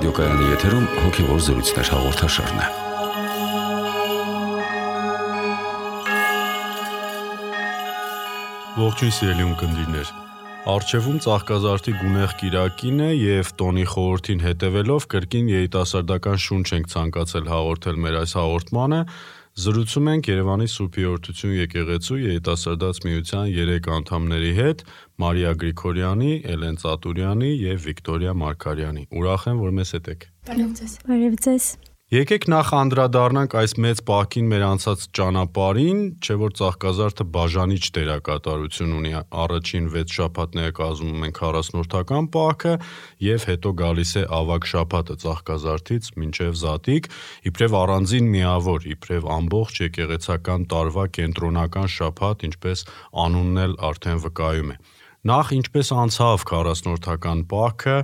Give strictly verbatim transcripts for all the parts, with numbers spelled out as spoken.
Ռադիոկայանի եթերում հոգևոր զրույցներ հաղորդաշարն է։ Ողջույն սիրելի ունկնդիրներ։ Առջևում Ծաղկազարդի գունեղ կիրակին է եւ տոնի խորհրդին հետևելով կրկին երիտասարդական շունչ ենք ցանկացել հաղորդել մեր այս հաղորդմանը։ Զրուցում ենք Երևանի Սուրբ Երրորդություն եկեղեցու երիտասարդաց միության երեք անդամների հետ՝ Մարիա Գրիգորյանի, Էլեն Ծատուրյանի եւ Վիկտորիա Մարգարյանի։ Ուրախ եմ, որ մեզ հետ եք։ Բարև ձեզ։ Բարև ձեզ։ Եկեք նախ անդրադառնանք այս մեծ պահքին մեր անցած ճանապարհին, չէ՞ որ Ծաղկազարդը բաժանիչ դերակատարություն ունի։ Առաջին վեց շաբաթները կազմում են քառասնորդական պահքը եւ հետո գալիս է ավագ շաբաթը Ծաղկազարդից մինչեւ Զատիկ, իբրև առանձին միավոր, իբրև ամբողջ եկեղեցական տարվա կենտրոնական շաբաթ, ինչպես անունն էլ արդեն վկայում է։ Նախ ինչպես անցավ քառասնորդական պահքը,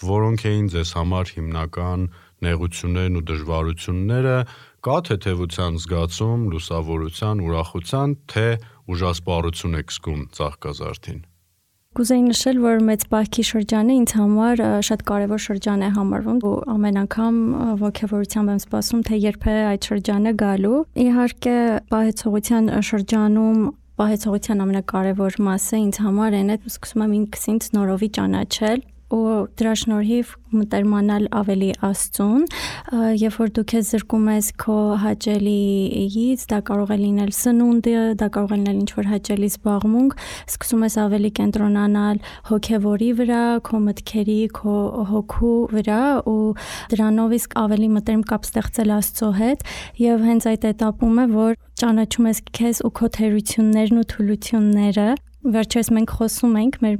որոնք էին ձեզ համար հիմնական նեղություններն ու դժվարությունները, կա թեթևության զգացում, լուսավորության, ուրախության, թե ուժասպառություն եք զգում Ծաղկազարդին։ Կուզեի նշել, որ մեծ պահքի շրջանը ինձ համար շատ կարևոր շրջան է համարվում ու ամեն անգամ ոգևորությամբ եմ սպասում, թե երբ է այդ շրջանը գալու։ Իհարկե, պահեցողության շրջանում պահեցողության ամենակարևոր մասը ինձ համար այն է, սկսում եմ ինքս ինձ նորովի ճանաչել ու դրա շնորհիվ մտերմանալ ավելի Աստծուն, երբ որ դու քեզ զրկում ես քո հաճելիից, դա կարող է լինել սնունդը, դա կարող է լինել ինչ-որ հաճելի զբաղմունք, սկսում ես ավելի կենտրոնանալ հոգևորի վրա, քո մտքերի, քո հոգու վրա ու դրանով իսկ ավելի մտերմ կապ ստեղծել Աստծո հետ եւ հենց այդ этаպում է, որ ճանաչում ես քեզ ու քո թերություններն ու թուլությունները։ Վերջերս մենք խոսում ենք մեր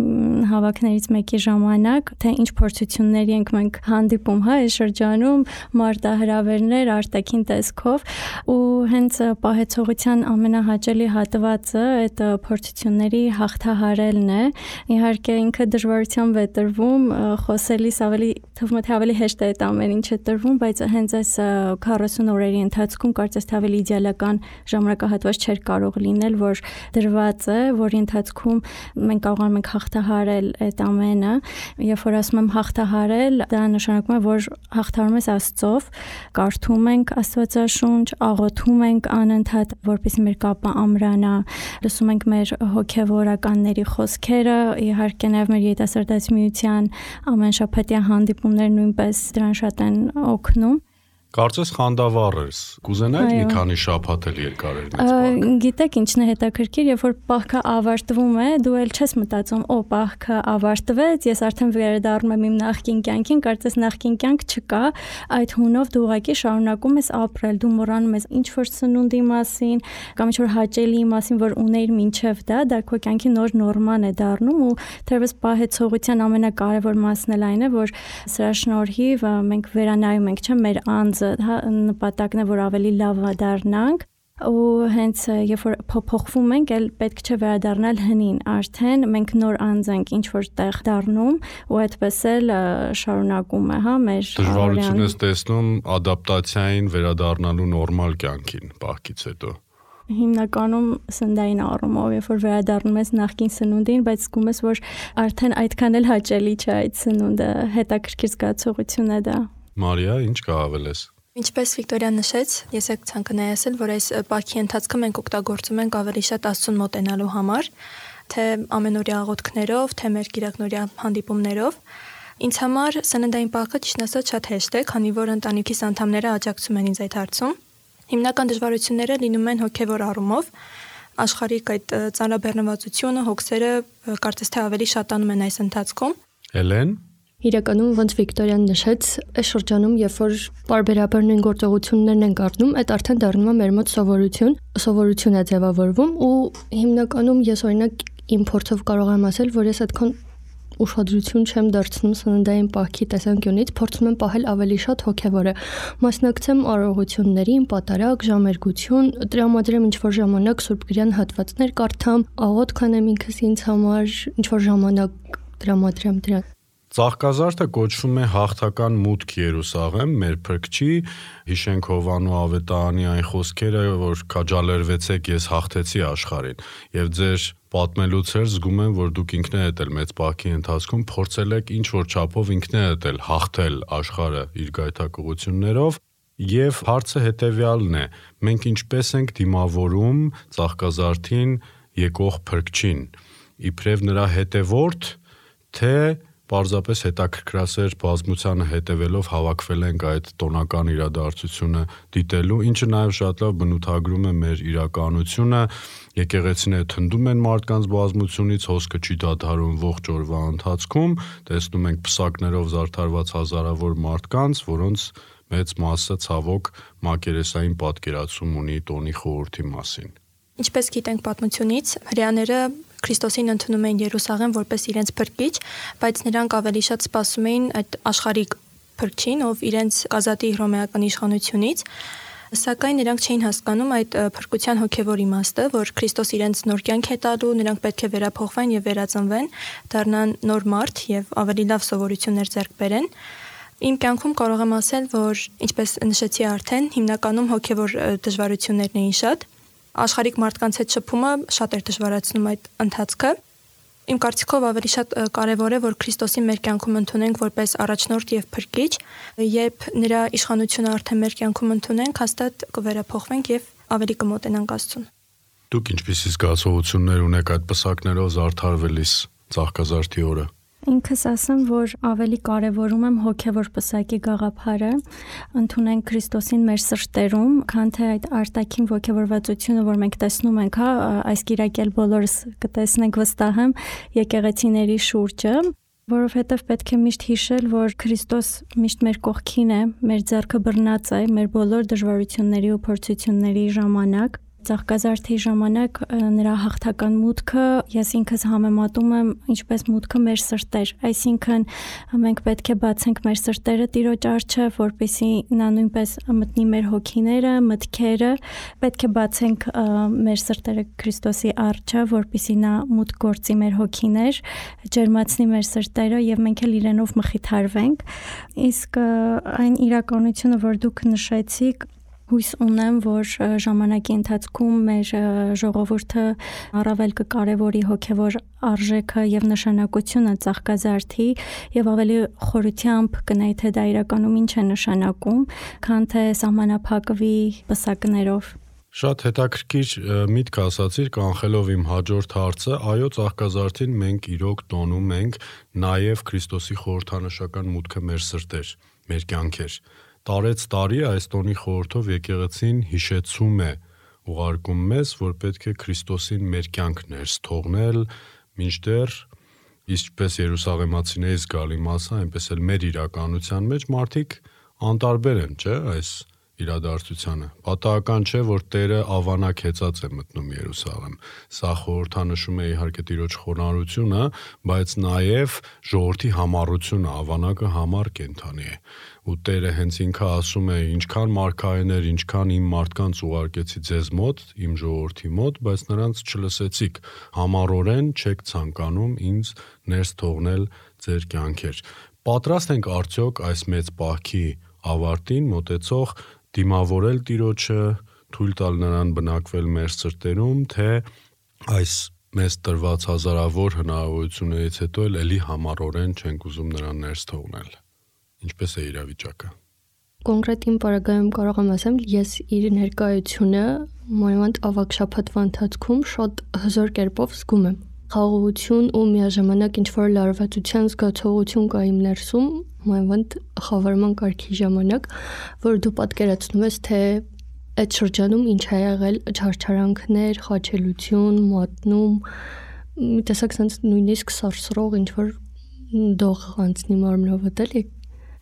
հավաքներից մեկի ժամանակ, թե ինչ փորձությունների ենք մենք հանդիպում, հա, այս շրջանում, մարտահրավերներ, արտաքին տեսքով ու հենց պահեցողության ամենահաճելի հատվածը այդ փորձությունների հաղթահարելն է։ Իհարկե ինքը դժվարությամբ է տրվում, խոսելիս ավելի թվում է թե ավելի հեշտ է այդ ամեն ինչը տրվում, բայց հենց այս քառասուն օրերի ընթացքում կարծես թե ավելի իդեալական ժամանակահատված չէր կարող լինել, որ դրված է, որի ընթացքում մենք կարողանում ենք հաղթահարել այդ ամենը, երբ որ ասում եմ հաղթահարել, դա նշանակում է, որ հաղթահարում ես Աստծով, կարդում ենք Աստվածաշունչ, աղոթում ենք անընդհատ, որպեսզի մեր կապը ամրանա, լսում ենք մեր հոգևորականների խոսքերը, իհարկե նաև մեր երիտասարդաց միության ամեն շաբաթյա հանդիպումներ նույնպես դրան շատ են օգնում։ Կարծես խանդավառ ես, կուզենայիր մի քանի շաբաթ էլ երկարել մեծ պահքը։ Գիտեք ինչն է հետաքրքիր, երբ որ պահքը ավարտվում է, դու էլ չես մտածում, օ, պահքը ավարտվեց, ես արդեն վերադառնում եմ իմ նախկին կյանքին, կարծես նախկին կյանք չկա, այդ հունով դու ուղղակի շարունակում ես ապրել, դու մոռանում ես ինչ որ սնունդի մասին, կամ ինչ որ հաճելի մասին, որ ունեիր մինչև դա, դա քո կյանքի նոր նորման է դառնում ու թերևս պահեցողության ամենակարևոր մասն էլ այն է, որ սրա շնորհիվ մենք վերանայում ենք, չէ՞, մեր անձը նպատակն է, որ ավելի լավ դառնանք ու հենց երբ որ փոփոխվում ենք, էլ պետք չէ վերադառնալ հնին, արդեն մենք նոր անձ ենք ինչ որ տեղ դառնում ու այդպես էլ շարունակում է, հա, մեր դժվարություն ես տեսնում ադապտացիային վերադառնալու նորմալ կյանքին պահքից հետո։ Հիմնականում սննդային առումով, երբ որ վերադառնում ես նախկին սնունդին, բայց զգում ես, որ արդեն այդքան էլ հաճելի չէ այդ սնունդը, հետաքրքիր զգացողություն է դա։ Մարիա, ինչ կհավելես։ Ինչպես Վիկտորիան նշեց, ես եք ցանկանայի ասել, որ այս պահքի ընթացքում մենք օգտագործում ենք ավելի շատ Աստծուն մոտենալու համար, թե ամենօրյա աղոթքներով, թե մեր կիրակնօրյա հանդիպումներով։ Ինձ համար սննդային պահքը ճիշտն ասած շատ հեշտ է, քանի որ ընտանիքիս անդամները աջակցում են ինձ այդ հարցում։ Հիմնական դժվարությունները լինում են հոգևոր առումով, աշխարհիկ այդ ծանրաբեռնվածությունը, հոգսերը կարծես թե ավելի շատանում են այս ընթացքում։ Էլեն։ Իրականում ոնց Վիկտորիան նշեց, այս շրջանում, երբ որ բարբերաբար նույն գործողություններն են կատարվում, այդ արդեն դառնում է մեր մոտ սովորություն, սովորություն է ձևավորվում ու հիմնականում ես օրինակ իմ փորձով կարող եմ ասել, որ ես այդքան ուշադրություն չեմ դարձնում սննդային պահքի տեսանկյունից, փորձում եմ պահել ավելի շատ հոգևորը, մասնակցեմ արարողություններին, պատարագ, ժամերգություն, տրամադրեմ ինչ-որ ժամանակ սուրբգրյան հատվածներ կարդամ, աղոթք անեմ ինքս ինձ համար, ինչ-որ ժամանակ տրամադրեմ դրան։ Ծաղկազարդը կոչվում է հաղթական մուտք Երուսաղեմ, մեր փրկչի, հիշենք Հովանու ավետարանի այն խոսքերը, որ քաջալերվեցեք, ես հաղթեցի աշխարհին, եւ ձեր պատմելուց էր զգում եմ, որ դուք ինքներդ էլ մեծ բակի ընթացքում փորձել եք ինչ որ չափով ինքներդ էլ հաղթել աշխարհը իր գայթակղություններով, եւ հարցը հետեւյալն է. մենք ինչպես ենք դիմավորում ծաղկազարդին եկող փրկչին, իբրև նրա հետևորդ, թե պարզապես հետաքրքրասեր բազմությանը հետևելով հավաքվել ենք այդ տոնական իրադարձությունը դիտելու, ինչը նաև շատ լավ բնութագրում է մեր իրականությունը, եկեղեցիները թնդում են մարդկանց բազմությունից, հոսքը չի դադարում ողջ օրվա ընթացքում, տեսնում ենք պսակներով զարդարված հազարավոր մարդկանց, որոնց մեծ մասը ցավոք մակերեսային պատկերացում ունի տոնի խորհրդի մասին։ Ինչպես գիտենք պատմությունից, հրեաները Քրիստոսին ընդունում էին Երուսաղեմ որպես իրենց փրկիչ, բայց նրանք ավելի շատ սպասում էին այդ աշխարհիկ փրկչին, ով իրենց ազատի հռոմեական իշխանությունից, սակայն նրանք չէին հասկանում այդ փրկության հոգևոր իմաստը, որ Քրիստոս իրենց նոր կյանք է տալու, նրանք պետք է վերափոխվեն եւ վերածնվեն, դառնան նոր մարդ եւ ավելի լավ սովորություններ ձեռք բերեն։ Իմ կյանքում կարող եմ ասել, որ ինչպես նշեցի արդեն, հիմնականում հոգևոր դժվարություններն էին շատ։ Աշխարհիկ մարդկանց հետ շփումը շատ էր դժվարացնում այդ ընթացքը։ Իմ կարծիքով ավելի շատ կարևոր է, որ Քրիստոսին մեր կյանքում ընդունենք որպես առաջնորդ եւ փրկիչ, երբ նրա իշխանությունը արդեն մեր կյանքում ընդունենք, հաստատ կվերափոխվենք եւ ավելի կմոտենանք Աստծուն։ Դուք ինչպիսի զգացողություններ ունեք այդ պսակներով զարդարվելիս ծաղկազարդի օրը։ Ինքս ասեմ, որ ավելի կարևորում եմ հոգևոր պսակի գաղափարը, ընդունենք Քրիստոսին մեր սրտերում, քան թե այդ արտաքին ոգևորվածությունը, որ մենք տեսնում ենք, հա, այս կիրակել բոլորս կտեսնենք վստահ եմ եկեղեցիների շուրջը, որովհետև պետք է միշտ հիշել, որ Քրիստոս միշտ մեր կողքին է, մեր ձեռքը բռնած է մեր բոլոր դժվարությունների ու փորձությունների ժամանակ։ Ծաղկազարդի ժամանակ նրա հաղթական մուտքը ես ինքս համեմատում եմ ինչպես մուտքը մեր սրտեր, այսինքն մենք պետք է բացենք մեր սրտերը Տիրոջ առջև, որպեսզի նա նույնպես մտնի մեր հոգիները, մտքերը, պետք է բացենք մեր սրտերը Քրիստոսի առջև, որպեսզի նա մուտք գործի մեր հոգիներ, ջերմացնի մեր սրտերը եւ մենք էլ իրենով մխիթարվենք։ Իսկ այն իրականությունը, որ դուք նշեցիք, հույս ունեմ, որ ժամանակի ընթացքում մեր ժողովուրդը առավել կկարևորի հոգևոր արժեքը եւ նշանակությունը ծաղկազարդի եւ ավելի խորությամբ կնայի թե դա իրականում ինչ է նշանակում, քան թե սահմանափակվի պսակներով։ Շատ հետաքրքիր միտք ասացիր, կանխելով իմ հաջորդ հարցը, այո, ծաղկազարդին մենք իրոք տոնում ենք նաեւ Քրիստոսի խորհրդանշական մուտքը մեր սրտեր, մեր կյանքեր։ Տարեց տարի այս տոնի խորհրդով եկեղեցին հիշեցում է, ուղարկում մեզ, որ պետք է Քրիստոսին մեր կյանք ներս թողնել, մինչդեռ ինչպես Երուսաղեմացիների զգալի մասը, այնպես էլ մեր իրականության մեջ մարդիկ անտարբեր են, չէ՞, այս իրադարձությանը։ Պատահական չէ, որ Տերը ավանակ հեծած է մտնում Երուսաղեմ։ Սա խորհրդանշում է իհարկե Տիրոջ խոնարհությունը, բայց նաև ժողովրդի համառությունը, ավանակը համառ կենդանի է։ Ու Տերը հենց ինքը ասում է, ինչքան մարգարեներ, ինչքան իմ մարդկանց ուղարկեցի ձեզ մոտ, իմ ժողովրդի մոտ, բայց նրանց չլսեցիք, համառորեն չեք ցանկանում ինձ ներս թողնել ձեր կյանքեր։ Պատրաստ ենք արդյոք այս մեծ պահքի ավարտին մոտեցող դիմավորել Տիրոջը, թույլ տալ նրան բնակվել մեր սրտերում, թե այս մեզ տրված հազարավոր հնարավորություններից հետո էլ էլի համառորեն չենք ուզում նրան ներս թողնել։ Ինչպես է իրավիճակը։ Կոնկրետ իմ պարագայում կարող եմ ասեմ, ես իր ներկայությունը մանավանդ ավագ շաբաթվա ընթացքում շատ հզոր կերպով զգում եմ։ Խաղաղություն ու միաժամանակ ինչ-որ լարվածության զգացողություն կա իմ ներսում, մանավանդ խավարման կարգի ժամանակ, որ դու պատկերացնում ես, թե այդ շրջանում ինչ է եղել չարչարանքներ, խաչելություն, մատնում, մի տեսակ sense նույնիսկ սարսռող ինչ-որ դող անցնի մարմնովդ էլի։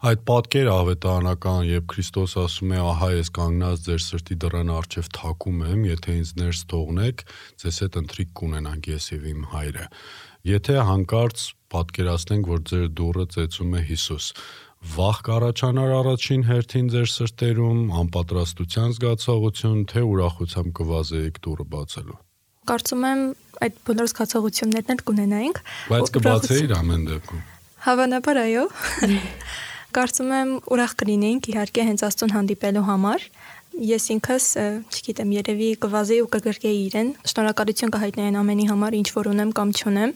Այդ պատկերը ավետարանական, երբ Քրիստոս ասում է, ահա ես կանգնած ձեր սրտի դռան առջև թակում եմ, եթե ինձ ներս թողնեք, ձեզ հետ ընթրիք կունենանք ես եւ իմ հայրը։ Եթե հանկարծ պատկերացնենք, որ ձեր դուռը ծեծում է Հիսուս, վախ կառաջանար առաջին հերթին ձեր սրտերում, անպատրաստության զգացողություն, թե ուրախությամբ կվազեիք դուռը բացելու։ Կարծում եմ այդ բոլոր զգացողություններն էլ կունենայինք։ Բայց կբացեիր ամեն դեպքում։ Հավանաբար այո։ Կարծում եմ ուրախ կլինեինք իհարկե հենց Աստծուն հանդիպելու համար, Ես ինքս, չգիտեմ, երևի կվազեի ու կգրկեի իրեն, շնորհակալություն կհայտնեի ամենի համար, ինչ որ ունեմ կամ չունեմ։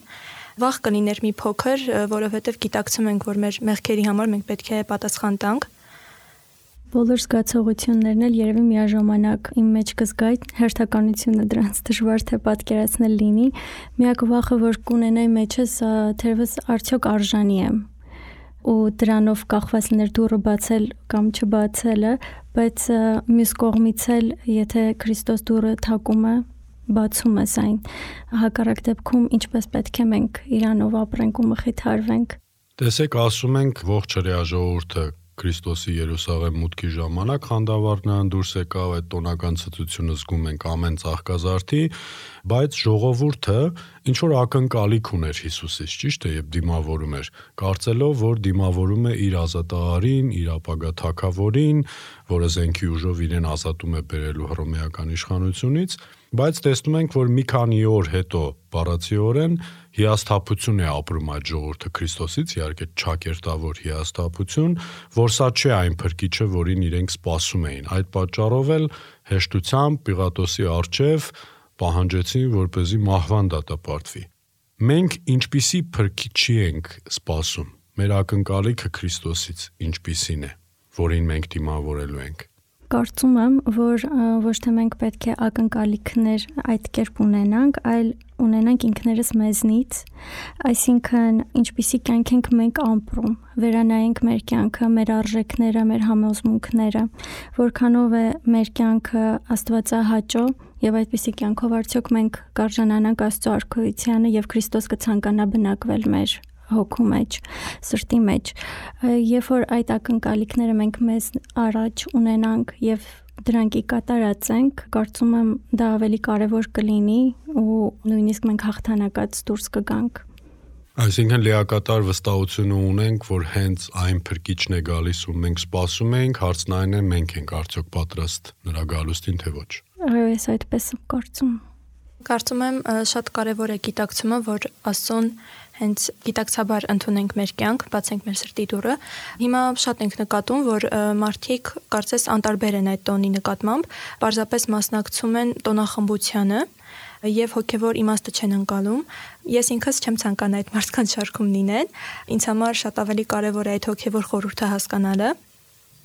Վաղ կլիներ մի փոքր, որովհետև գիտակցում ենք, որ մեր մեղքերի համար մենք պետք է պատասխան տանք։ Բոլոր զգացողություններն էլ երևի միաժամանակ իմ մեջ կզգայի, հերթականությունը դրանց դժվար թե պատկերացնել լինի։ Միակ վախը, որ կունենայի մեջս, թերևս արդյոք արժանի եմ ու դրանով կախված լիներ դուռը բացել կամ չբացելը, բայց մյուս կողմից էլ, եթե Քրիստոս դուռը թակում է, բացում ես այն, հակառակ դեպքում ինչպես պետք է մենք իրանով ապրենք ու մխիթարվենք։ Տեսեք, ասում ենք ողջ հրեա ժողովուրդը Քրիստոսի Երուսաղեմ մուտքի ժամանակ խանդավառնան դուրս եկավ, այդ տոնական ցտությունը զգում ենք ամեն ծաղկազարդի, բայց ժողովուրդը ինչ որ ակնկալիք ուներ Հիսուսից, ճիշտ է, եւ դիմավորում էր, կարծելով, որ դիմավորում է իր ազատահարին, իր ապագա թագավորին, որը զենքի ուժով իրեն ազատում է բերելու հռոմեական իշխանությունից, բայց տեսնում ենք, որ մի քանի օր հետո բառացիորեն հիասթափություն է ապրում այդ ժողովուրդը Քրիստոսից, իհարկե ճակերտավոր հիասթափություն, որ սա չէ այն փրկիչը, որին իրենք սպասում էին։ Այդ պատճառով էլ հեշտությամբ Պիղատոսի առջև պահանջեցին, որպեսզի մահվան դատապարտվի։ Մենք ինչպիսի փրկիչի ենք սպասում։ Մեր ակնկալիքը Քրիստոսից ինչպիսին է, որին մենք դիմավորելու ենք։ Կարծում եմ, որ ոչ թե մենք պետք է ակնկալիքներ այդ կերպ ունենանք, այլ ունենանք ինքներս մեզնից, այսինքն ինչպիսի կյանք ենք մենք ապրում, վերանայենք մեր կյանքը, մեր արժեքները, մեր համոզմունքները, որքանով է մեր կյանքը աստվածահաճո եւ այդպիսի կյանքով արդյոք մենք կարժանանանք Աստծո արքայությանը եւ Քրիստոս կցանկանա բնակվել մեր հոգու մեջ, սրտի մեջ, երբ որ այդ ակնկալիքները մենք մեզ առաջ ունենանք եւ դրանք ի կատարածենք, կարծում եմ դա ավելի կարեւոր կլինի ու նույնիսկ մենք հաղթանակած դուրս կգանք։ Այսինքն լիակատար վստահությունը ունենք, որ հենց այն փրկիչն է գալիս ու մենք սպասում ենք, հարցն այն է, մենք ենք արդյոք պատրաստ նրա գալուստին թե ոչ։ Այո, ես այդպես եմ կարծում։ Կարծում եմ շատ կարևոր է գիտակցումը, որ Աստծուն հենց գիտակցաբար ընդունենք մեր կյանք, բացենք մեր սրտի դուռը։ Հիմա շատ ենք նկատում, որ մարդիկ կարծես անտարբեր են այդ տոնի նկատմամբ, պարզապես մասնակցում են տոնախմբությանը եւ հոգեվոր իմաստը չեն ընկալում։ Ես ինքս չեմ ցանկանա այդ մարդկանց շարքում լինել։ Ինձ համար շատ ավելի կարևոր է այդ հոգեվոր խորհուրդը հասկանալը։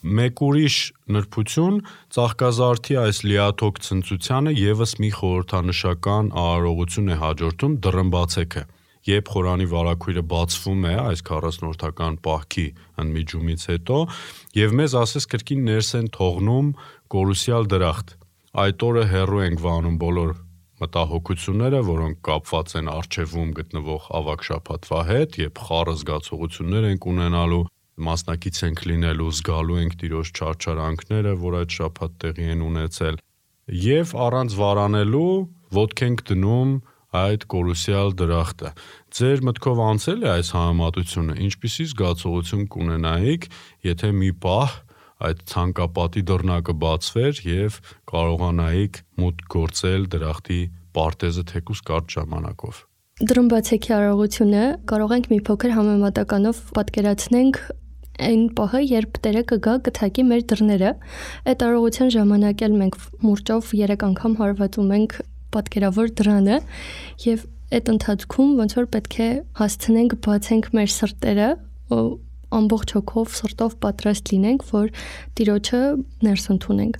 Մեկ ուրիշ նրբություն ծաղկազարդի այս լիաթոք ցնծությանը եւս մի խորհրդանշական արարողություն է հաջորդում դռնբացեքը։ Երբ խորանի վարագույրը բացվում է այս քառասնորդական պահքի ընդմիջումից հետո եւ մեզ ասես կրկին ներս են թողնում կորուսյալ դրախտ։ Այդ օրը հեռու ենք վանում բոլոր մտահոգությունները, որոնք կապված են արչեվում գտնվող ավագ շաբաթվա հետ, եւ խառը զգացողություններ ենք ունենալու, մասնակից ենք լինելու, զգալու ենք Տիրոջ չարչարանքները, որ այդ շաբաթ տեղի են ունեցել, եւ առանց վարանելու ոտք ենք դնում այդ կորուսյալ դրախտը։ Ձեր մտքով անցել է այս համեմատությունը, ինչպիսի զգացողություն կունենայիք, եթե մի պահ այդ ցանկապատի դռնակը բացվեր եւ կարողանայիք մուտք գործել դրախտի պարտեզը թեկուզ կարճ ժամանակով։ Դռնբացեքի արարողությունը կարող ենք մի փոքր համեմատականով պատկերացնենք այն պահը, երբ Տերը կգա կթակի մեր դռները։ Այդ արարողության ժամանակ էլ մենք մուրճով երեք անգամ հարվածում ենք պատկերավոր դռանը եւ այդ ընթացքում ոնց որ պետք է հասցնենք բացենք մեր սրտերը ու ամբողջ հոգով սրտով պատրաստ լինենք, որ Տիրոջը ներս ընդունենք։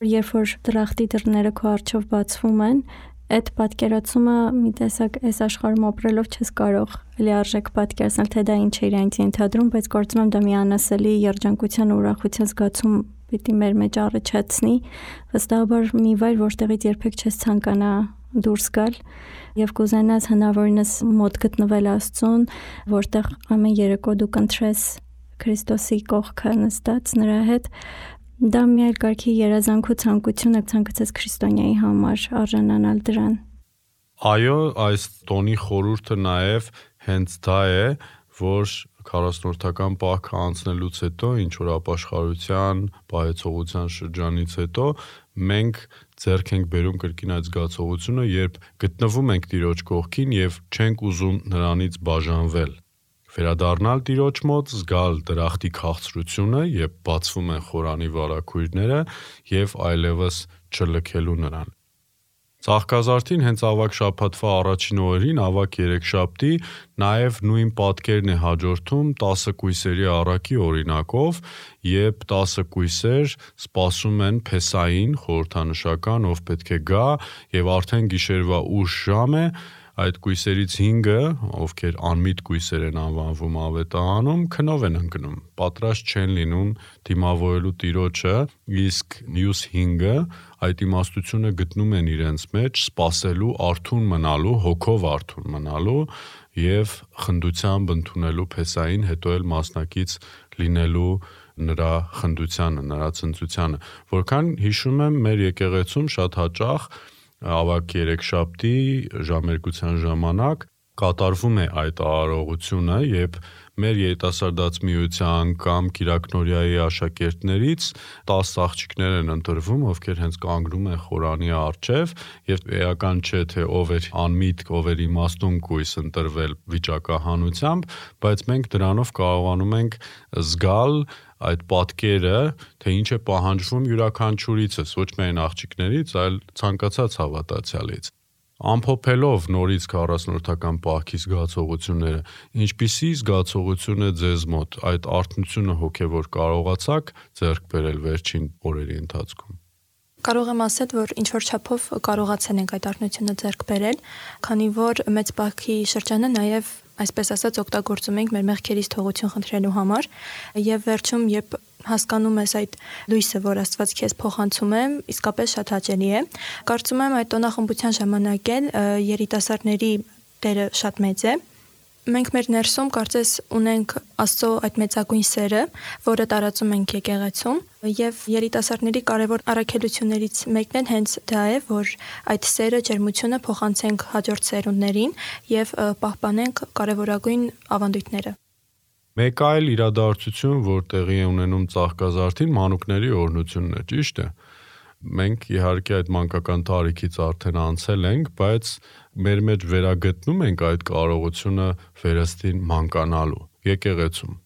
Երբ որ դրախտի դռները քո առջև բացվում են, այդ պատկերացումը մի տեսակ այս աշխարհում ապրելով չես կարող լիարժեք պատկերացնել, թե դա ինչ է իրենից ենթադրում, բայց կարծում եմ դա մի անասելի երջանկության ու ուրախության զգացում պիտի մեր մեջ առաջացնի, վստահաբար մի վայր, որտեղից երբեք չես ցանկանա դուրս գալ եւ կուզենաս հնարավորինս մոտ գտնվել Աստծուն, որտեղ ամեն երեկո դու կընտրես Քրիստոսի կողքը նստած նրա հետ, դա մի այլ կարգի երազանք ու ցանկություն է ցանկացած քրիստոնյայի համար արժանանալ դրան։ Այո, այս տոնի խորհուրդը նաեւ հենց դա է, որ քառասնորդական պահքը անցնելուց հետո, ինչ որ ապաշխարության, պահեցողության շրջանից հետո մենք ձեռք ենք բերում կրկին այդ զգացողությունը, երբ գտնվում ենք Տիրոջ կողքին եւ չենք ուզում նրանից բաժանվել։ Վերադառնալ Տիրոջ մոտ, զգալ դրախտի քաղցրությունը, երբ բացվում են խորանի վարագույրները եւ այլևս չլքելու նրան։ Ծաղկազարդին հենց ավագ շաբաթվա առաջին օրերին, ավագ երեքշաբթի, նաև նույն պատկերն է հաջորդում տասը կույսերի առակի օրինակով, երբ տասը կույսեր սպասում են Փեսային, խորհրդանշական, ով պետք է գա, եւ արդեն գիշերվա ուշ ժամ է, այդ կույսերից հինգը, ովքեր անմիտ կույսեր են անվանվում ավետարանում, քնով են ընկնում, պատրաստ չեն լինում դիմավորելու Տիրոջը, իսկ մյուս հինգը այդ իմաստությունը գտնում են իրենց մեջ սպասելու, արթուն մնալու, հոգով արթուն մնալու եւ խնդությամբ ընդունելու Փեսային, հետո էլ մասնակից լինելու նրա խնդությանը, նրա ցնծությանը, որքան հիշում եմ մեր եկեղեցում շատ հաճախ ավագ երեքշաբթի ժամերկության ժամանակ կատարվում է այդ արարողությունը, երբ մեր երիտասարդաց միության կամ Կիրակնորիայի աշակերտներից տասը աղջիկներ են ընտրվում, ովքեր հենց կանգնում են խորանի առջև եւ էական չէ թե ով էր անմիտ, ով էր իմաստուն կույս ընտրվել վիճակահանությամբ, բայց մենք դրանով կարողանում ենք զգալ այդ պատկերը, թե ինչ է պահանջվում յուրաքանչյուրիցս, ոչ միայն աղջիկներից, այլ ցանկացած հավատացյալից։ Ամփոփելով նորից քառասնորդական պահքի զգացողությունները, ինչպիսի զգացողություն է ձեզ մոտ այդ արթնությունը հոգևոր կարողացաք ձեռք բերել վերջին օրերի ընթացքում։ Կարող եմ ասել, որ ինչ որ չափով կարողացել ենք այդ արթնությունը ձեռք բերել, քանի որ մեծ պահքի շրջանը նաև այսպես ասած օգտագործում ենք մեր մեղքերից թողություն խնդրելու համար եւ վերջում երբ հասկանում ես այդ լույսը, որ Աստված քեզ փոխանցում է, իսկապես շատ հաճելի է։ Կարծում եմ այդ տոնախմբության ժամանակ էլ երիտասարդների դերը շատ մեծ է։ Մենք մեր ներսում կարծես ունենք Աստծո այդ մեծագույն սերը, որը տարածում ենք եկեղեցում, եւ երիտասարդների կարևոր առաքելություններից մեկն էլ հենց դա է, որ այդ սերը, ջերմությունը փոխանցենք հաջորդ սերունդներին եւ պահպանենք կարևորագույն ավանդույթները։ Մեկ այլ իրադարձություն, որ տեղի է ունենում Ծաղկազարդին, մանուկների օրհնությունն է, ճիշտ է։ Մենք իհարկե այդ մանկական տարիքից արդեն անցել ենք, բայց մեր մեջ վերագտնում ենք այդ կարողությունը վերստին մանկանալու եկեղեցում։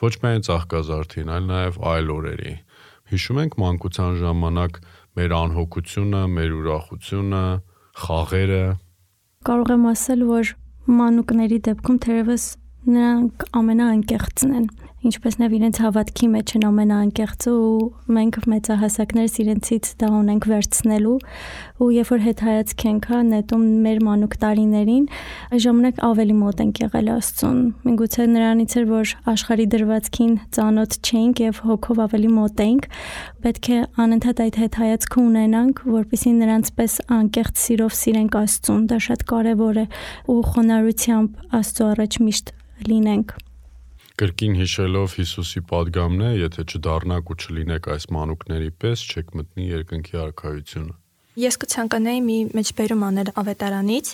Ոչ միայն Ծաղկազարդին, այլ նաև այլ օրերի։ Հիշում ենք մանկության ժամանակ մեր անհոգությունը, մեր ուրախությունը, խաղերը։ Կարող եմ ասել, որ մանուկների դեպքում թերևս նրանք ամենաանկեղծն են, ինչպես նաև իրենց հավատքի մեջ են ամենաանկեղծը ու մենք մեծահասակներս իրենցից դա ունենք վերցնելու ու երբ որ հետ հայացք ենք հա նետում մեր մանուկ տարիներին, այս ժամանակ ավելի մոտ ենք եղել Աստծուն։ Միգուցե նրանից էր, որ աշխարհի դրվածքին ծանոթ չէինք եւ հոգով ավելի մոտ էինք, պետք է անընդհատ այդ հետ հայացքը ունենանք, որպեսզի նրանց պես անկեղծ սիրով սիրենք Աստծուն, դա շատ կարեւոր է ու խոնարհությամբ Աստծո առաջ միշտ լինենք։ Կրկին հիշելով Հիսուսի պատգամն է, եթե չդառնաք ու չլինեք այս մանուկների պես, չեք մտնի երկնքի արքայությունը։ Ես կցանկանայի մի մեջբերում անել ավետարանից,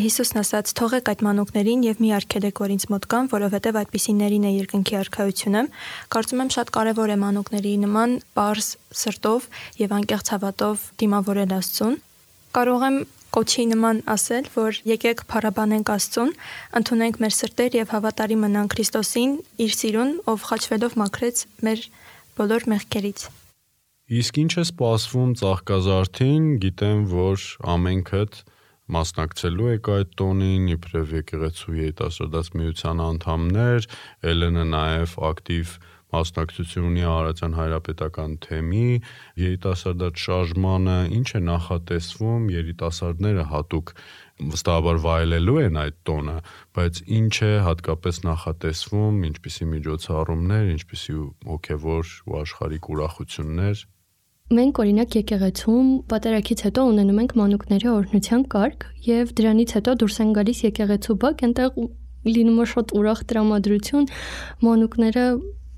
Հիսուսն ասաց. «Թողեք այդ մանուկներին եւ մի արգելեք, որ ինձ մոտ գան, որովհետեւ այդպիսիներին է երկնքի արքայությունը»։ Կարծում եմ շատ կարեւոր է մանուկների նման պարզ սրտով եւ անկեղծ հավատով դիմավորել Աստծուն։ Կարող եմ կոչի նման ասել, որ եկեք փառաբանենք Աստծուն, ընդունենք մեր սրտեր եւ հավատարիմ մնանք Քրիստոսին, իր սիրուն, ով խաչվելով մաքրեց մեր բոլոր մեղքերից։ Իսկ ինչ է սպասվում Ծաղկազարդին, գիտեմ, որ ամենքդ մասնակցելու եք այդ տոնին, իբրև եկեղեցու երիտասարդաց միության անդամներ, Էլենը նաև ակտիվ մասնակցություն ունի Արարատյան հայրապետական թեմի, երիտասարդաց շարժմանը, ինչ է նախատեսվում, երիտասարդները հատուկ վստահաբար վայելելու են այդ տոնը, բայց ինչ է հատկապես նախատեսվում, ինչպիսի միջոցառումներ, ինչպիսի հոգևոր ու աշխարհիկ ուրախություններ։ Մենք օրինակ եկեղեցում պատերակից հետո ունենում ենք մանուկների օրհնության կարգ եւ դրանից հետո դուրս են գալիս եկեղեցու բակ, այնտեղ լինում է շատ ուրախ տրամադրություն, մանուկները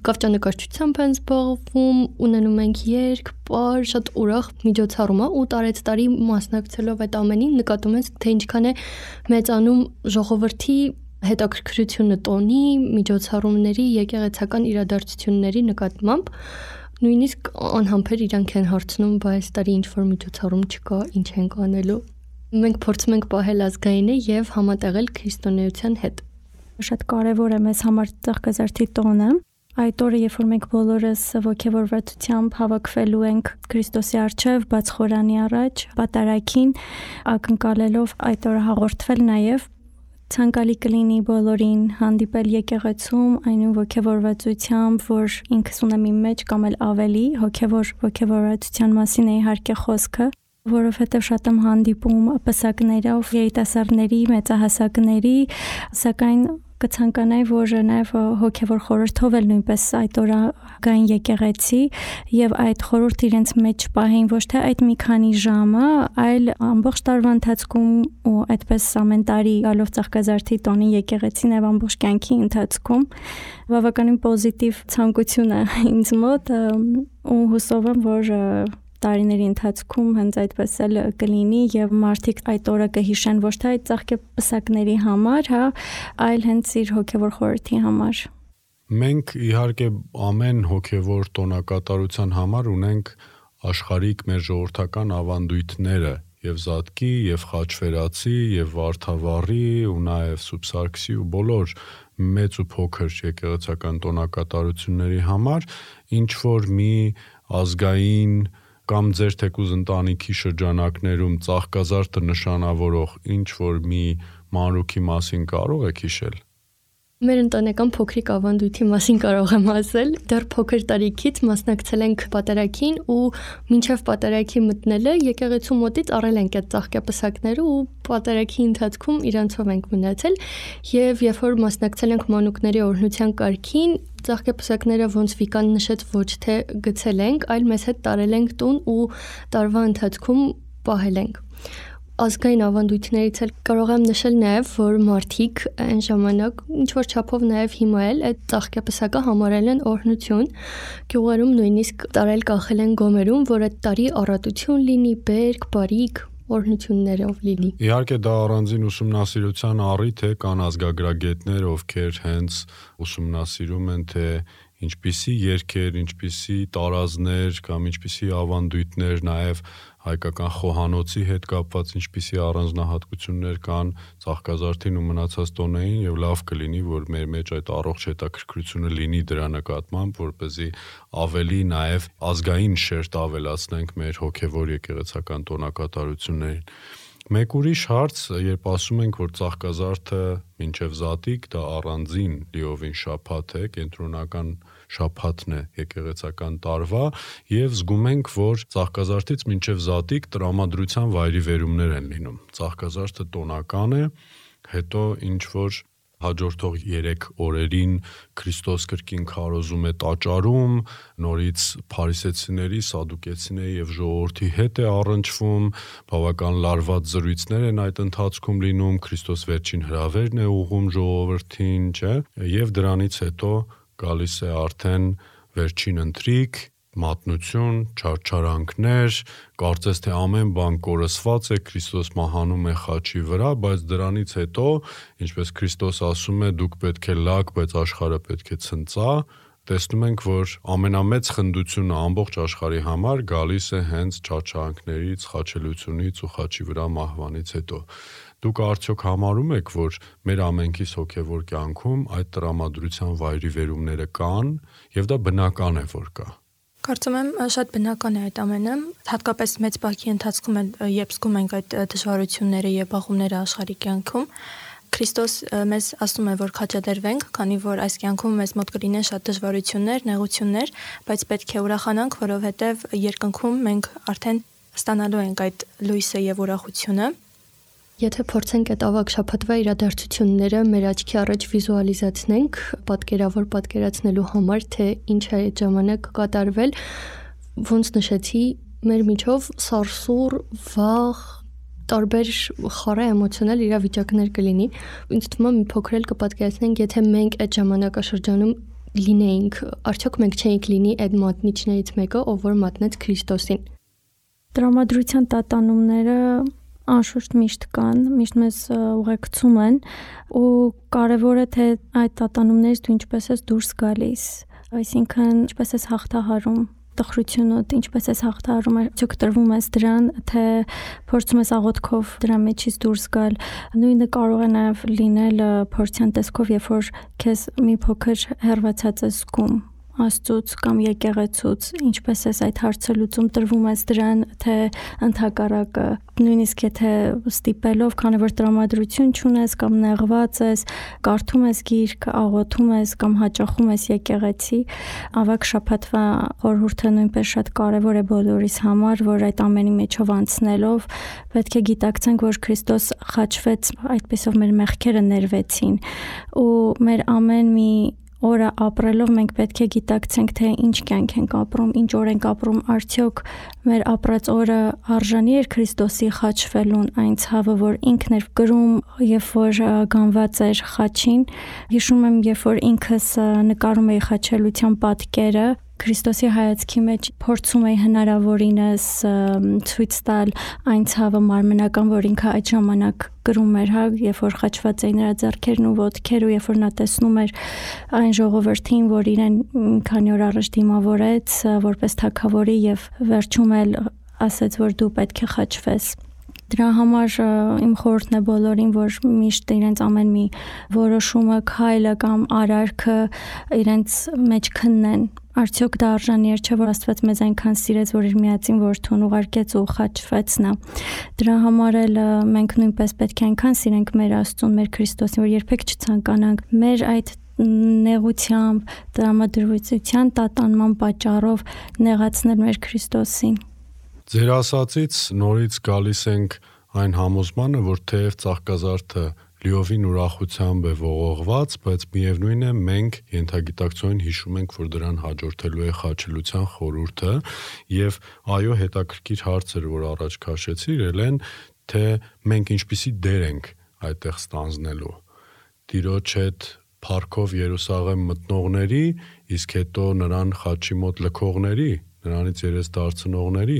կավճանկարչությամբ են զբաղվում, ունենում ենք երգ, պար, շատ ուրախ միջոցառում է ու տարեց տարի մասնակցելով այդ ամենին նկատում ենք, թե ինչքան է մեծանում ժողովրդի հետաքրքրությունը տոնի, միջոցառումների, եկեղեցական իրադարձությունների նկատմամբ, նույնիսկ անհամբեր իրանք են հարցնում, բայց տարի ինչ որ միջոցառում չկա, ինչ ենք անելու։ Մենք փորձում ենք պահել ազգայինը եւ համատեղել քրիստոնեության հետ։ Շատ կարևոր է մեզ համար Ծաղկազարդի տոնը։ Այդ օրը, երբ որ մենք բոլորս ոգևորվածությամբ հավաքվելու ենք Քրիստոսի առջև, բաց խորանի առաջ, պատարագին, ակնկալելով այդ օրը հաղորդվել նաև ցանկալի կլինի բոլորին հանդիպել եկեղեցում այնու ոգևորվածությամբ, որ ինքս ունեմ իմ մեջ կամ էլ ավելի հոգևոր ոգևորվածության մասին է իհարկե խոսքը, որովհետև շատ եմ հանդիպում պսակներով, երիտասարդների, մեծահասակների, սակայն կցանկանայի, որ նաև հոգևոր խորհրդով էլ նույնպես այդ օրը գային եկեղեցի եւ այդ խորհուրդը իրենց մեջ պահեին ոչ թե այդ մի քանի ժամը, այլ ամբողջ տարվա ընթացքում ու այդպես ամեն տարի գալով Ծաղկազարդի տոնի եկեղեցին եւ ամբողջ կյանքի ընթացքում բավականին պոզիտիվ ցանկություն է ինձ մոտ ու հուսով եմ, որ տարիների ընթացքում հենց այդպես էլ կլինի եւ մարդիկ այդ օրը կհիշեն ոչ թե այդ ծաղկե պսակների համար, հա, այլ հենց իր հոգևոր խորհրդի համար։ Մենք իհարկե ամեն հոգևոր տոնակատարության համար ունենք աշխարհիկ մեր ժողովրդական ավանդույթները եւ Զատկի, եւ Խաչվերացի, եւ Վարդավառի ու նաեւ Սուբսարկսի ու բոլոր մեծ ու փոքր եկեղեցական տոնակատարությունների համար ինչ որ մի ազգային կամ ձեր թեկուզ ընտանիքի շրջանակներում Ծաղկազարդը նշանավորող ինչ որ մի մանրուքի մասին կարող եք հիշել։ Մեր ընտանեկան փոքրիկ ավանդույթի մասին կարող եմ ասել։ Դեռ փոքր տարիքից մասնակցել ենք պատարագին ու մինչև պատարագի մտնելը եկեղեցու մոտից առել ենք այդ ծաղկապսակները ու պատարագի ընթացքում իրանցով ենք մնացել եւ երբ որ մասնակցել ենք մանուկների օրհնության կարգին, ծաղկապսակները ոնց Վիկան նշեց ոչ թե գցել ենք, այլ մեզ հետ տարել ենք տուն ու տարվա ընթացքում պահել ենք։ Ազգային ավանդույթներից էլ կարող եմ նշել նաև, որ մարդիկ այն ժամանակ ինչ որ չափով նաև հիմա էլ այդ ծաղկապսակը համարել են օրհնություն, գյուղերում նույնիսկ տարել կախել են գոմերում, որ այդ տարի առատություն լինի, բերք, բարիք, օրհնություններով լինի։ Իհարկե դա առանձին ուսումնասիրության առիթ է, կան ազգագրագետներ, ովքեր հենց ուսումնասիրում են, թե ինչպիսի երգեր, ինչպիսի տարազներ կամ ինչպիսի ավանդույթներ, նաև հայկական խոհանոցի հետ կապված ինչպիսի առանձնահատկություններ կան Ծաղկազարդին ու մնացած տոներին եւ լավ կլինի, որ մեր մեջ այդ առողջ հետաքրքրությունը լինի դրա նկատմամբ, որպեսզի ավելի նաև ազգային շերտ ավելացնենք մեր հոգեվոր եկեղեցական տոնակատարություններին։ Մեկ ուրիշ հարց, երբ ասում ենք, որ Ծաղկազարդը մինչև Զատիկ դա առանձին լիովին շաբաթ է, կենտրոնական շաբաթն է եկեղեցական տարվա եւ զգում ենք, որ Ծաղկազարդից մինչև Զատիկ տրամադրության վայրիվերումներ են լինում։ Ծաղկազարդը տոնական է, հետո ինչ որ հաջորդող երեք օրերին Քրիստոս կրկին քարոզում է տաճարում, նորից փարիսեցիների, սադուկեցիների եւ ժողովրդի հետ է առնչվում, բավական լարված զրույցներ են այդ ընթացքում լինում, Քրիստոս վերջին հրավերն է ուղղում ժողովրդին, չէ՞, եւ դրանից հետո գալիս է արդեն վերջին ընթրիք, մատնություն, չարչարանքներ, կարծես թե ամեն բան կորսված է, Քրիստոս մահանում է խաչի վրա, բայց դրանից հետո, ինչպես Քրիստոս ասում է, դուք պետք է լաք, բայց աշխարհը պետք է ցնծա, տեսնում ենք, որ ամենամեծ խնդությունը ամբողջ աշխարհի համար գալիս է հենց չարչարանքներից, խաչելությունից ու խաչի վրա մահվանից հետո։ Դուք արդյոք համարում եք, որ մեր ամենքիս հոգևոր կյանքում այդ տրամադրության վայրիվերումները կան եւ դա բնական է, որ կա։ Կարծում եմ շատ բնական է այդ ամենը, հատկապես մեծ բակի ընթացքում էլ երբ զգում ենք այդ դժվարությունները եւ բախումները աշխարհի կյանքում, Քրիստոս մեզ ասում է, որ քաջադերվենք, քանի որ այս կյանքում մեզ մոտ կլինեն շատ դժվարություններ, նեղություններ, բայց պետք է ուրախանանք, որովհետեւ երկնքում մենք արդեն ստանալու ենք այդ լույսը եւ ուրախությունը։ Եթե փորձենք այդ ավագ շաբաթվա իրադարձությունները մեր աչքի առաջ վիզուալիզացնենք, պատկերավոր պատկերացնելու համար, թե ինչ է այդ ժամանակ կատարվել, ոնց նշեցի, մեր միջով սարսուռ, վախ, տարբեր խառը էմոցիոնալ իրավիճակներ կլինի։ Ինձ թվում է մի փոքր էլ կպատկերացնենք, եթե մենք այդ ժամանակաշրջանում լինեինք, արդյոք մենք չէինք լինի այդ մատնիչներից մեկը, ով որ մատնեց Քրիստոսին։ Տրամադրության տատանումները անշուշտ միշտ կան, միշտ մեզ ուղեկցում են ու կարևոր է թե այդ տատանումներից դու ինչպես ես դուրս գալիս, այսինքն ինչպես ես հաղթահարում տխրությունդ ինչպես ես հաղթահարում ես, ցույց տրվում ես դրան, թե փորձում ես աղոթքով դրա մեջից դուրս գալ։ Նույնը կարող է նաև լինել փորձյան տեսքով, երբ որ քեզ մի փոքր հեռացած ես զգում Աստծուց կամ եկեղեցուց, ինչպես ես այդ հարցը լուծում, տրվում ես դրան, թե ընդհակառակը, նույնիսկ եթե ստիպելով, քանի որ տրամադրություն չունես կամ նեղված ես, կարդում ես գիրք, աղոթում ես կամ հաճախում ես եկեղեցի, ավակ շաբաթվա խորհուրդը նույնպես շատ կարևոր է բոլորիս համար, որ այդ ամենի մեջով անցնելով պետք է գիտակցենք, որ Քրիստոս խաչվեց, այդպեսով մեր մեղքերը ներվեցին, ու մեր ամեն մի օրը ապրելով մենք պետք է գիտակցենք, թե ինչ կյանք ենք ապրում, ինչ օր ենք ապրում, արդյոք մեր ապրած օրը արժանի էր Քրիստոսի խաչվելուն, այն ցավը, որ ինքն էր կրում, երբ որ գանված էր խաչին։ Հիշում եմ, երբ որ ինքս նկարում էի խաչելության պատկերը, Քրիստոսի հայացքի մեջ փորձում էի հնարավորինս ցույց տալ այն ցավը մարմնական, որ ինքը այդ ժամանակ կրում էր, հա, երբ որ խաչված էին նրա ձեռքերն ու ոտքերը, երբ որ նա տեսնում էր այն ժողովրդին, որ իրեն մի քանի օր առաջ դիմավորեց որպես թագավորի եւ վերջում էլ ասաց, որ դու պետք է խաչվես։ Դրա համար իմ խորհուրդն է բոլորին, որ միշտ իրենց ամեն մի որոշումը, քայլը կամ արարքը իրենց մեջ քննեն։ Արդյոք դա արժանի էր, չէ՞ որ Աստված մեզ այնքան սիրեց, որ իր միածին որդուն ուղարկեց ու խաչվեց նա։ Դրա համար էլ մենք նույնպես պետք է այնքան սիրենք մեր Աստծուն, մեր Քրիստոսին, որ երբեք չցանկանանք մեր այդ նեղությամբ, տրամադրվածության տատանման պատճառով նեղացնել մեր Քրիստոսին։ Ձեր ասածից նորից գալիս ենք այն համոզմանը, որ թեև ծաղկազարդը լիովին ուրախությամբ է ողողված, բայց միևնույն է մենք ենթագիտակցորեն հիշում ենք, որ դրան հաջորդելու է խաչելության խորհուրդը, եւ այո, հետաքրքիր հարցեր, որ առաջ քաշեցիր, ելեն, թե մենք ինչպիսի դեր ենք այդտեղ ստանձնելու։ Տիրոջ հետ փառքով Երուսաղեմ մտնողների, իսկ հետո նրան խաչի մոտ լքողների, նրանից երես դարձնողների,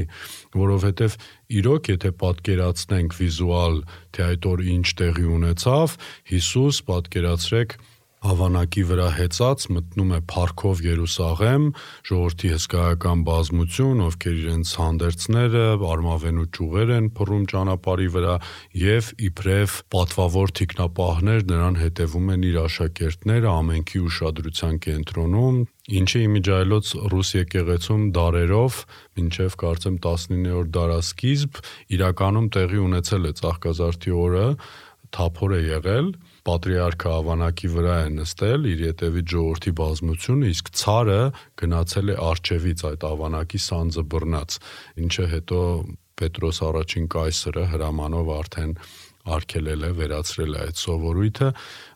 որովհետև իրոք եթե պատկերացնենք վիզուալ, թե այդ օր ինչ տեղի ունեցավ, Հիսուս, պատկերացրեք, հավանակի վրա հեծած մտնում է փառքով Երուսաղեմ, ժողովրդի հսկայական բազմություն, ովքեր իրենց հանդերձները, արմավենու ճյուղեր են փռում ճանապարհի վրա, եւ իբրև պատվավոր թիկնապահներ նրան հետևում են իր աշակերտները, ամենքի ուշադրության կենտրոնում, ինչը իմիջայլոց ռուս եկեղեցում դարերով, մինչև կարծեմ տասնիններորդ դարասկիզբ, իրականում տեղի ունեցել է ծաղկազարդի օրը, թափոր է եղել, պատրիարքը ավանակի վրա է նստել, իր ետևից ժողովրդի բազմությունը, իսկ ցարը գնացել է արջևից այդ ավանակի սանձը բռնած, ինչը հետո Պետրոս առաջին կայսրը հրամանով արդեն արգելել է, վերացրել է այդ սովորույթը։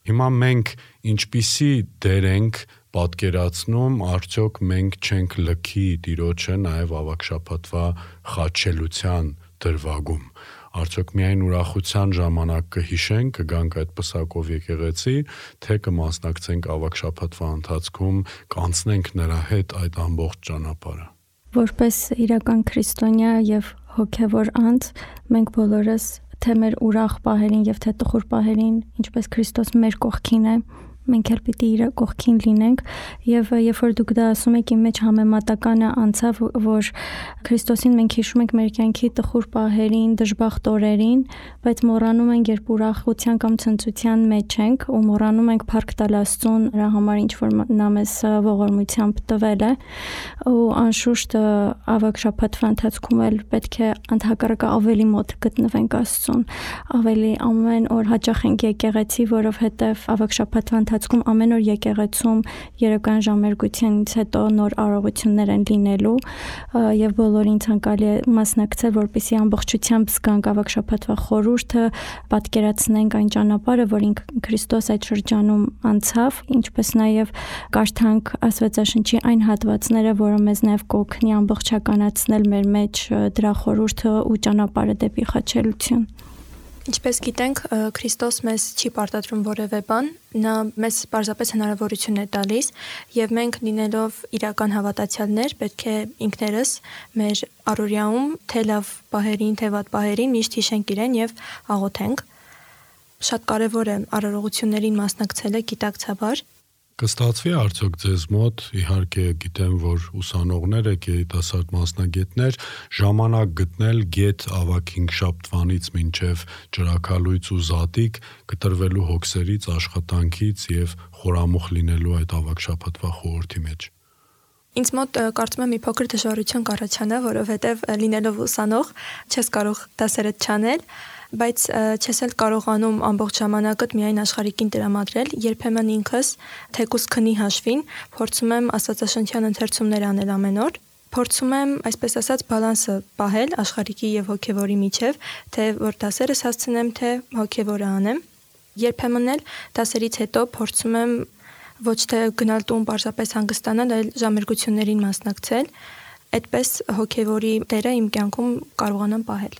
Հիմա մենք ինչպիսի դեր ենք պատկերացնում, արդյոք մենք չենք լքի Տիրոջը նաև ավագշաբաթվա խաչելության դրվագում։ Արդյոք միայն ուրախության ժամանակ կհիշենք, կգանք այդ պսակով եկեղեցի, թե կմասնակցենք ավագշաբաթվա ընթացքում, կանցնենք նրա հետ այդ ամբողջ ճանապարհը։ Որպես իրական քրիստոնյա եւ հոգեվոր անձ, մենք բոլորս թե մեր ուրախ պահերին եւ թե տխուր պահերին, ինչպես Քրիստոս մեր կողքին է, մենք էլ պիտի իր կողքին լինենք եւ երբ որ դուք դա ասում եք, իմ մեջ համեմատականը անցավ, որ Քրիստոսին մենք հիշում ենք մեր կյանքի տխուր պահերին, դժբախտ օրերին, բայց մոռանում ենք, երբ ուրախության կամ ցնծության մեջ ենք ու մոռանում ենք փառք տալ Աստծուն նրա համար, ինչ որ նա մեզ ողորմությամբ տվել է, ու անշուշտ ավագ շաբաթվա ընթացքում էլ պետք է ընդհակառակը ավելի մոտ գտնվենք Աստծուն, ավելի ամեն օր հաճախ ենք եկեղեցի, որովհետեւ ավագ շաբաթվա ընթացքում ամեն օր եկեղեցում երեկոյան ժամերգությունից հետո նոր արարողություններ են լինելու եւ բոլորին ցանկալի է մասնակցել, որպեսզի ամբողջությամբ զգանք ավագ շաբաթվա խորհուրդը, պատկերացնենք այն ճանապարհը, որին Քրիստոս այդ շրջանում անցավ, ինչպես նաեւ կարդանք Աստվածաշնչի այն հատվածները, որը մեզ նաեւ կօգնի ամբողջականացնել մեր մեջ դրա խորհուրդը ու ճանապարհը դեպի խաչելություն։ Ինչպես գիտենք, Քրիստոս մեզ չի պարտադրում որևէ բան, նա մեզ պարզապես հնարավորություն է տալիս եւ մենք լինելով իրական հավատացյալներ պետք է ինքներս մեր առօրյաում թե լավ պահերին, թե վատ պահերին միշտ հիշենք իրեն եւ աղոթենք։ Շատ կարեւոր է արարողություններին մասնակցելը գիտակցաբար։ Կստացվի արդյոք ձեզ մոտ, իհարկե գիտեմ, որ ուսանողներ եք, երիտասարդ մասնագետներ, ժամանակ գտնել գետ ավագ հինգշաբթվանից մինչև ճրագալույց ու զատիկ կտրվելու հոգսերից, աշխատանքից եւ խորամուխ լինելու այդ ավագ շաբաթվա խորհրդի մեջ։ Ինձ մոտ կարծում եմ մի փոքր դժվարություն կառաջանա, որովհետև լինելով ուսանող չես կարող դասերդ չանել, բայց չես էլ կարողանում ամբողջ ժամանակդ միայն աշխարհիկին տրամադրել, երբեմն ինքս թեկուզ քնի հաշվին փորձում եմ աստվածաշնչյան ընթերցումներ անել ամեն օր, փորձում եմ, այսպես ասած, բալանսը պահել աշխարհիկի եւ հոգեվորի միջև, թե որ դասերս հասցնեմ, թե հոգեվորը անեմ։ Երբեմն էլ դասերից հետո փորձում եմ ոչ թե գնալ տուն պարզապես հանգստանալ, այլ ժամերգություններին մասնակցել, այդպես հոգեվորի դերը իմ կյանքում կարողանամ պահել։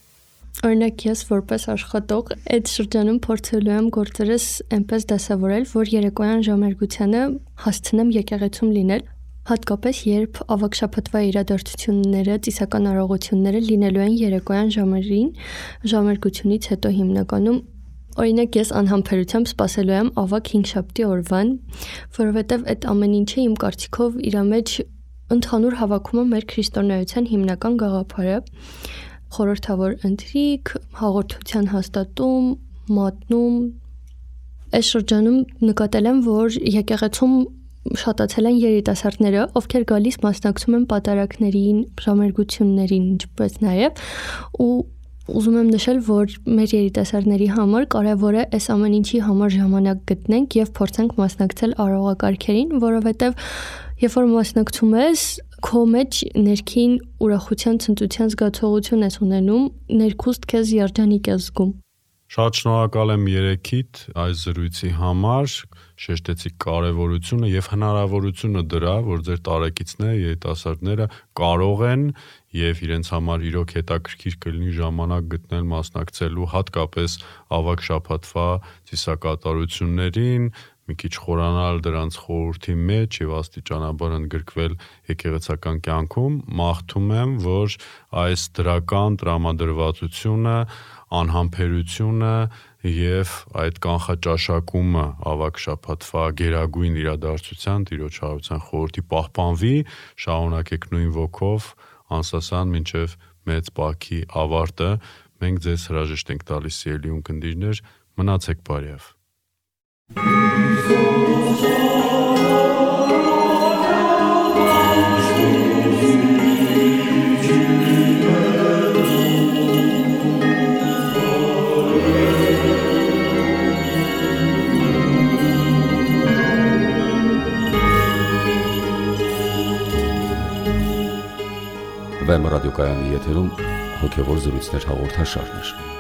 Օրինակ ես որպես աշխատող այդ շրջանում փորձելու եմ գործերս այնպես դասավորել, որ երեկոյան ժամերգությանը հասցնեմ եկեղեցում լինել, հատկապես երբ ավագ շաբաթվա իրադարձությունները, ծիսական արարողությունները լինելու են երեկոյան ժամերին, ժամերգությունից հետո հիմնականում Օրինակ ես անհամբերությամբ սպասելու եմ ավագ հինգշաբթի օրվան, որովհետև այդ ամեն ինչը իմ կարծիքով իր մեջ ընդհանուր հավաքում է մեր քրիստոնեության հիմնական գաղափարը, խորհրդավոր ընթրիք, հաղորդության հաստատում, մատնում։ Այս շրջանում նկատել եմ, որ եկեղեցում շատացել են երիտասարդները, ովքեր գալիս մասնակցում են պատարակներին, ժամերգություններին, ինչպես նաև ու Ուզում եմ նշել, որ մեր երիտասարդների համար կարևոր է այս ամեն ինչի համար ժամանակ գտնենք եւ փորձենք մասնակցել արարողակարգերին, որովհետեւ երբ որ մասնակցում ես, քո մեջ ներքին ուրախության, ցնծության զգացողություն ես ունենում, ներքուստ քեզ երջանիկ ես զգում։ Շատ շնորհակալ եմ երեքիդ այս զրույցի համար, շեշտեցի կարևորությունը եւ հնարավորությունը դրա, որ ձեր տարեկիցները, երիտասարդները կարող են եւ իրենց համար իրոք հետաքրքիր կլինի ժամանակ գտնել մասնակցելու հատկապես ավագ շաբաթվա ծիսակատարություններին, մի քիչ խորանալ դրանց խորհրդի մեջ եւ աստիճանաբար ընդգրկվել եկեղեցական կյանքում, մաղթում եմ, որ այս դրական տրամադրվածությունը, անհամբերությունը եւ այդ կանխաճաշակումը ավագ շաբաթվա գերագույն իրադարձության Տիրոջ հարության խորհրդի պահպանվի, շարունակեք նույն ոգով անսասան մինչև մեծ Պասխի ավարտը, մենք ձեզ հրաժեշտ ենք տալիս սիրելի ունկնդիրներ, մնացեք բարյավ։ Վեմ ռադիոկայանի եթերում հոգևոր զրույցներ հաղորդաշարներ։